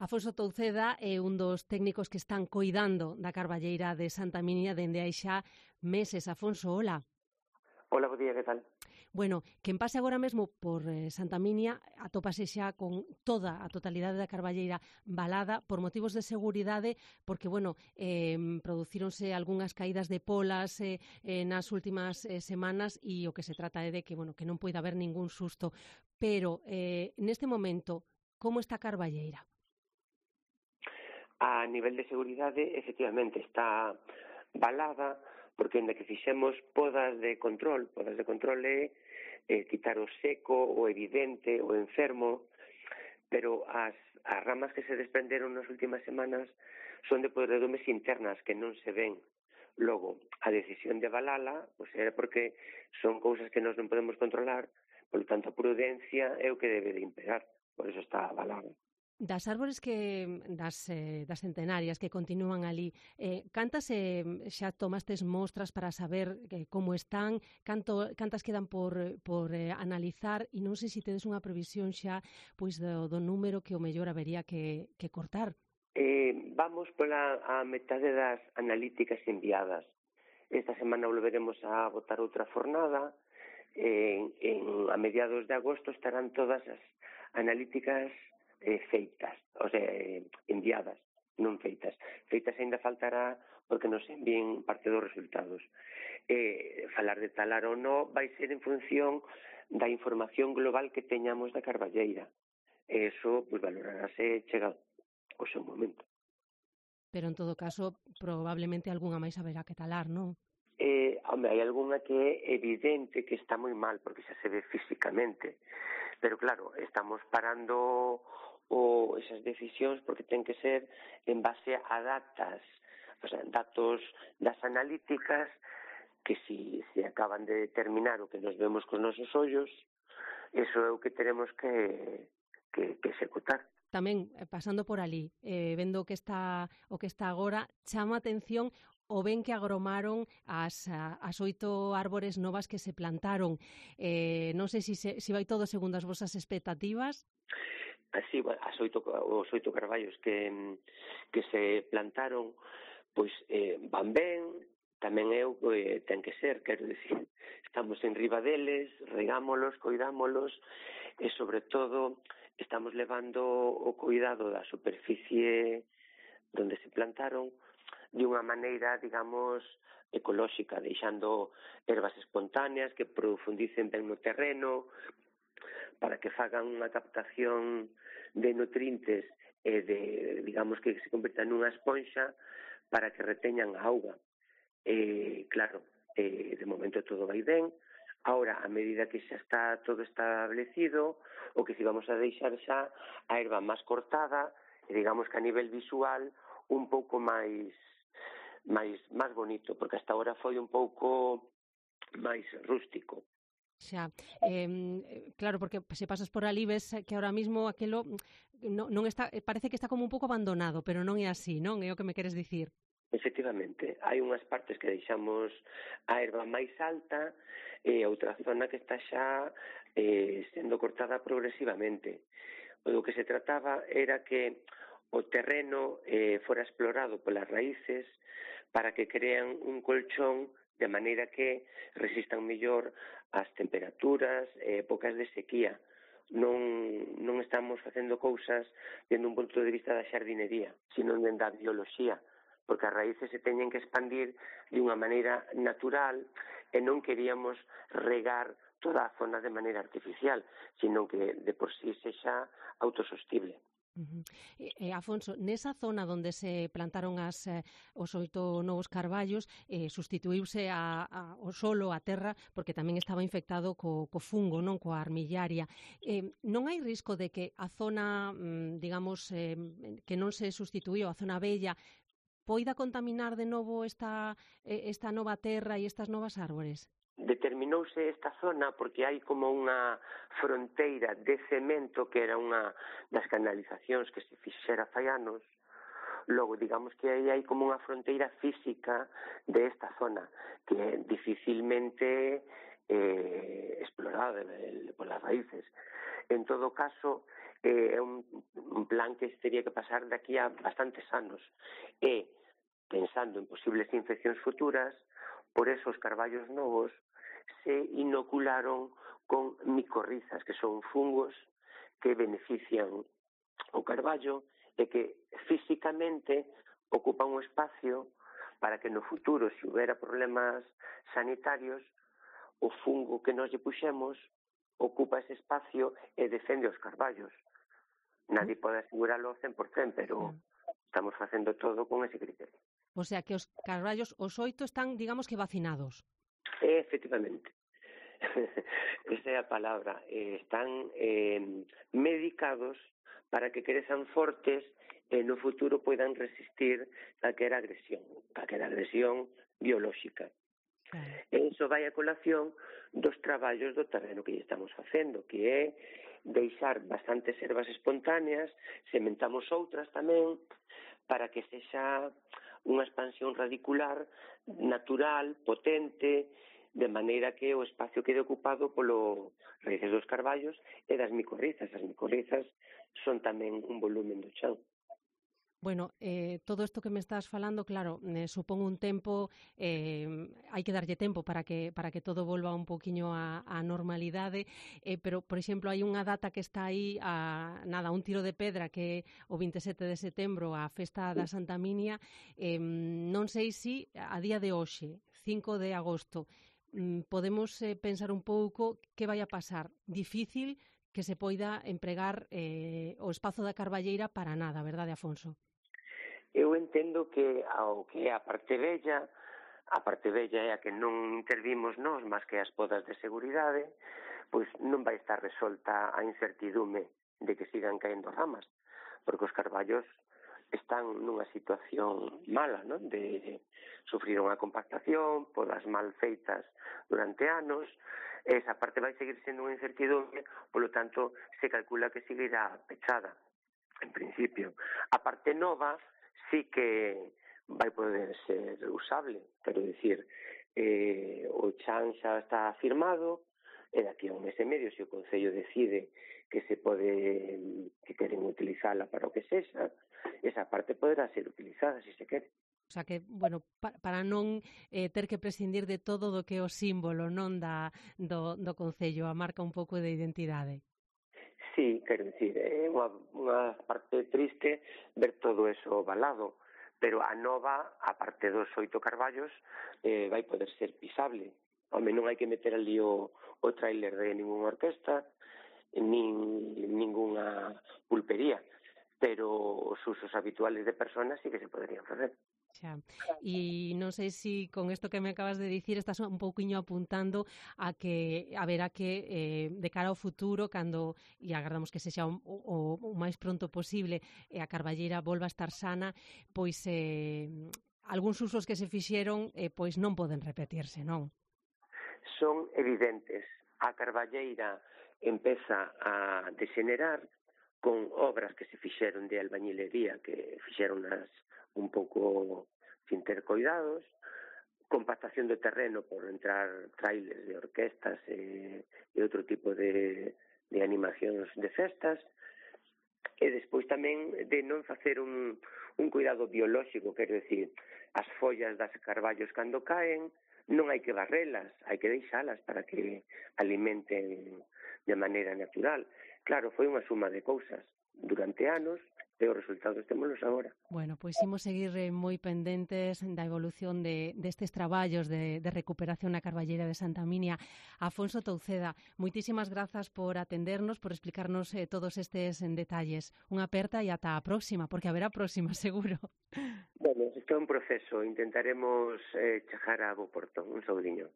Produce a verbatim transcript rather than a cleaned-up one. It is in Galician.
Afonso Touceda é un dos técnicos que están coidando da carballeira de Santa Minia dende hai xa meses. Afonso, hola. Hola, bo día, que tal? Bueno, quen pase agora mesmo por eh, Santa Minia atópase xa con toda a totalidade da carballeira balada por motivos de seguridade, porque, bueno, eh, producíronse algunhas caídas de polas eh, eh, nas últimas eh, semanas e o que se trata é de que, bueno, que non poida haber ningún susto. Pero, eh, neste momento, como está a carballeira? A nivel de seguridade, efectivamente, está balada, porque ainda que fixemos podas de control, podas de control é eh, quitar o seco, o evidente, o enfermo, pero as, as ramas que se desprenderon nas últimas semanas son de podredumes internas que non se ven. Logo, a decisión de balala, pois é porque son cousas que nós non podemos controlar, por tanto, a prudencia é o que debe de imperar, por eso está balada. Das árbores que das, eh, das centenarias que continúan ali, eh, cantas eh, xa tomastes mostras para saber eh, como están, canto, cantas quedan por, por eh, analizar, e non sei se tedes unha previsión xa pois do, do número que o mellor habería que, que cortar. Eh, vamos pola a metade das analíticas enviadas. Esta semana volveremos a botar outra fornada. En, en, a mediados de agosto estarán todas as analíticas eh, feitas, o sea, eh, enviadas, non feitas. Feitas ainda faltará porque nos envíen parte dos resultados. Eh, falar de talar ou non vai ser en función da información global que teñamos da carballeira. Eso, pois, valorarase chega o seu momento. Pero, en todo caso, probablemente algunha máis haberá que talar, non? Eh, home, hai algunha que é evidente que está moi mal, porque xa se ve físicamente. Pero, claro, estamos parando o, esas decisións porque ten que ser en base a datas, o sea, datos das analíticas que si se acaban de determinar o que nos vemos con nosos ollos, eso é o que teremos que, que, que executar. Tamén, pasando por ali, eh, vendo o que está o que está agora, chama a atención o ben que agromaron as, as oito árbores novas que se plantaron. Eh, non sei se, se, se vai todo segundo as vosas expectativas. Así, as oito, os oito carballos que, que se plantaron, pois eh, van ben, tamén é o que ten que ser, quero dicir, estamos en riba deles, regámolos, coidámolos, e sobre todo estamos levando o cuidado da superficie donde se plantaron de unha maneira, digamos, ecolóxica, deixando ervas espontáneas que profundicen ben no terreno, para que fagan unha captación de nutrientes e de, digamos, que se convirtan nunha esponxa para que reteñan a auga. Eh, claro, eh, de momento todo vai ben. Ahora, a medida que xa está todo establecido, o que si vamos a deixar xa a erva máis cortada, e digamos que a nivel visual un pouco máis máis máis bonito, porque hasta ahora foi un pouco máis rústico. Xa, eh, claro, porque se pasas por ali ves que ahora mismo aquelo non, non está, parece que está como un pouco abandonado, pero non é así, non? É o que me queres dicir. Efectivamente, hai unhas partes que deixamos a erva máis alta e outra zona que está xa eh, sendo cortada progresivamente. O que se trataba era que o terreno eh, fora explorado polas raíces para que crean un colchón de maneira que resistan mellor as temperaturas e épocas de sequía. Non, non estamos facendo cousas dende un punto de vista da xardinería, sino dende a bioloxía, porque as raíces se teñen que expandir de unha maneira natural e non queríamos regar toda a zona de maneira artificial, sino que de por sí sexa autosostible. Uh-huh. E, e, Afonso, nesa zona onde se plantaron as, eh, os oito novos carballos, eh, sustituíuse a, a, o solo, a terra, porque tamén estaba infectado co, co fungo, non coa armillaria. Eh, non hai risco de que a zona, mm, digamos, eh, que non se sustituíu, a zona bella, poida contaminar de novo esta, esta nova terra e estas novas árbores? Determinouse esta zona porque hai como unha fronteira de cemento que era unha das canalizacións que se fixera fai anos. Logo, digamos que aí hai como unha fronteira física de esta zona que é dificilmente eh, explorada polas raíces. En todo caso, é un, un plan que teria que pasar daqui a bastantes anos. E, pensando en posibles infeccións futuras, por eso os carballos novos se inocularon con micorrizas, que son fungos que benefician o carballo e que físicamente ocupan un espacio para que no futuro, se houbera problemas sanitarios, o fungo que nos lle puxemos ocupa ese espacio e defende os carballos. Nadie pode asegurarlo ao cen por cen, pero estamos facendo todo con ese criterio. O sea, que os carballos, os oito, están, digamos que vacinados. E, efectivamente. Esa é a palabra. Eh, están eh, medicados para que crezan fortes e no futuro poidan resistir calquera agresión, calquera agresión biolóxica. Claro. E iso vai a colación dos traballos do terreno que estamos facendo, que é deixar bastantes ervas espontáneas, sementamos outras tamén, para que sexa unha expansión radicular natural, potente, de maneira que o espacio quede ocupado polo raíces dos carballos e das micorrizas. As micorrizas son tamén un volumen do chan. Bueno, eh, todo isto que me estás falando, claro, eh, supón un tempo, eh, hai que darlle tempo para que para que todo volva un poquiño á, á normalidade, eh, pero, por exemplo, hai unha data que está aí, a, nada, un tiro de pedra, que é o vinte e sete de setembro, a festa da Santa Minia. Eh, non sei se a día de hoxe, cinco de agosto, podemos eh, pensar un pouco que vai a pasar. Difícil que se poida empregar eh, o espazo da Carballeira para nada, verdade, Afonso? Eu entendo que ao que é a parte bella, a parte bella é a que non intervimos nós, máis que as podas de seguridade, pois non vai estar resolta a incertidume de que sigan caendo ramas, porque os carballos están nunha situación mala, non? De sufrir unha compactación, podas mal feitas durante anos, esa parte vai seguir sendo unha incertidume, polo tanto, se calcula que seguirá pechada, en principio. A parte nova sí que vai poder ser usable, quero dicir, eh, o chan xa está firmado, e daqui a un mes e medio, se o Concello decide que se pode, que queren utilizala para o que sexa, esa parte poderá ser utilizada, se se quere. O sea que, bueno, pa, para non eh, ter que prescindir de todo do que é o símbolo, non da, do, do Concello, a marca un pouco de identidade. Sí, quero dicir, é unha, unha parte triste ver todo eso balado, pero a nova, a parte dos oito carballos, eh, vai poder ser pisable. Home, non hai que meter ali o, o trailer de ninguna orquesta, nin ninguna pulpería, pero os usos habituales de personas sí que se poderían facer. Xa. E non sei se con isto que me acabas de dicir estás un pouquiño apuntando a que haberá que, eh, de cara ao futuro, cando, e agardamos que sexa o, o, o máis pronto posible, e a Carballeira volva a estar sana, pois eh, algúns usos que se fixeron eh, pois non poden repetirse, non? Son evidentes. A Carballeira empeza a degenerar con obras que se fixeron de albañilería, que fixeron as un pouco sin ter cuidados, compactación do terreno por entrar trailers de orquestas e, e outro tipo de, de animacións de festas, e despois tamén de non facer un, un cuidado biolóxico, quero dicir, as follas das carballos cando caen non hai que barrelas, hai que deixalas para que alimenten de maneira natural. Claro, foi unha suma de cousas durante anos, e os resultados témolos agora. Bueno, pois imos seguir moi pendentes da evolución de destes traballos de, de recuperación na Carballeira de Santa Minia. Afonso Touceda, moitísimas grazas por atendernos, por explicarnos eh, todos estes en detalles. Unha aperta e ata a próxima, porque haberá próxima, seguro. Bueno, isto é un proceso. Intentaremos eh, chegar a bo porto. Un saudiño.